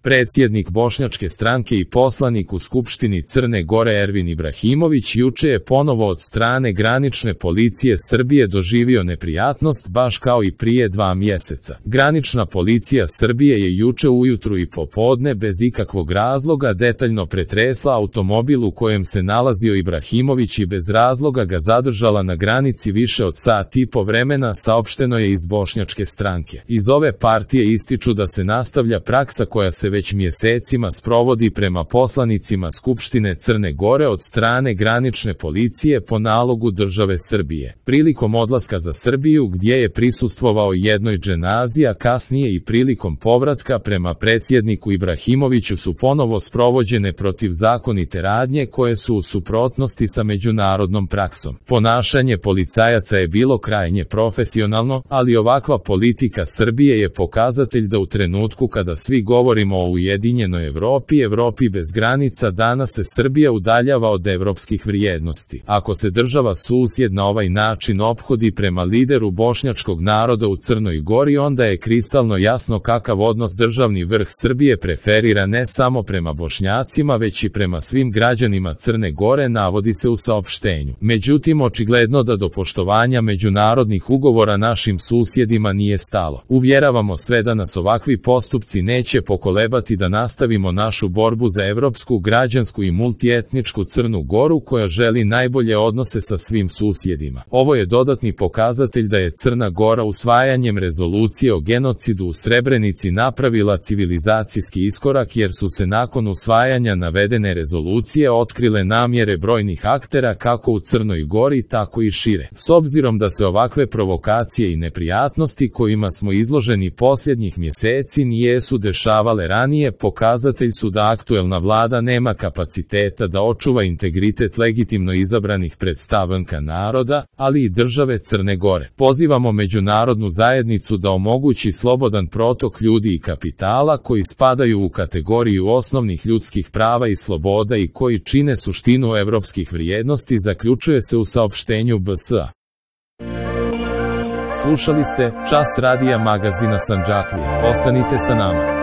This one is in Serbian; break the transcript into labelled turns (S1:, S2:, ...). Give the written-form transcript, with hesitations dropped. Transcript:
S1: Predsjednik Bošnjačke stranke i poslanik u Skupštini Crne Gore Ervin Ibrahimović juče je ponovo od strane granične policije Srbije doživio neprijatnost baš kao i prije 2 mjeseca. Granična policija Srbije je juče ujutru i popodne bez ikakvog razloga detaljno pretresla automobil u kojem se nalazio Ibrahimović i bez razloga ga zadržala na granici više od sat i po vremena, saopšteno je iz Bošnjačke stranke. Iz ove partije ističu da se nastavlja praksa koja se već mjesecima sprovodi prema poslanicima Skupštine Crne Gore od strane granične policije po nalogu države Srbije. Prilikom odlaska za Srbiju, gdje je prisustvovao jednoj dženazi, a kasnije i prilikom povratka prema predsjedniku Ibrahimoviću su ponovo sprovođene protivzakonite radnje koje su u suprotnosti sa međunarodnom praksom. Ponašanje policajaca je bilo krajnje profesionalno, ali ovakva politika Srbije je pokazatelj da u trenutku kada svi govorimo o ujedinjenoj Evropi bez granica, danas se Srbija udaljava od evropskih vrijednosti. Ako se država susjed na ovaj način ophodi prema lideru bošnjačkog naroda u Crnoj Gori, onda je kristalno jasno kakav odnos državni vrh Srbije preferira ne samo prema Bošnjacima, već i prema svim građanima Crne Gore, navodi se u saopštenju. Međutim, očigledno da do poštovanja međunarodnih ugovora našim susjedima nije stalo. Uvjeravamo sve da nas ovakvi postupci neće pokolebati da nastavimo našu borbu za evropsku, građansku i multietničku Crnu Goru koja želi najbolje odnose sa svim susjedima. Ovo je dodatni pokazatelj da je Crna Gora usvajanjem rezolucije o genocidu u Srebrenici napravila civilizacijski iskorak, jer su se nakon usvajanja navedene rezolucije otkrile namjere brojnih aktera kako u Crnoj Gori tako i šire. S obzirom da se ovakve provokacije i neprijatnosti kojima smo izloženi posljednjih mjeseci nijesu dešavale ranije, pokazatelj su da aktuelna vlada nema kapaciteta da očuva integritet legitimno izabranih predstavnika naroda, ali i države Crne Gore. Pozivamo međunarodnu zajednicu da omogući slobodan protok ljudi i kapitala koji spadaju u kategoriju osnovnih ljudskih prava i sloboda i koji čine suštinu evropskih vrijednosti, zaključuje se u saopštenju BSA. Slušali ste Čas radija magazina Sandžaklija. Ostanite sa nama.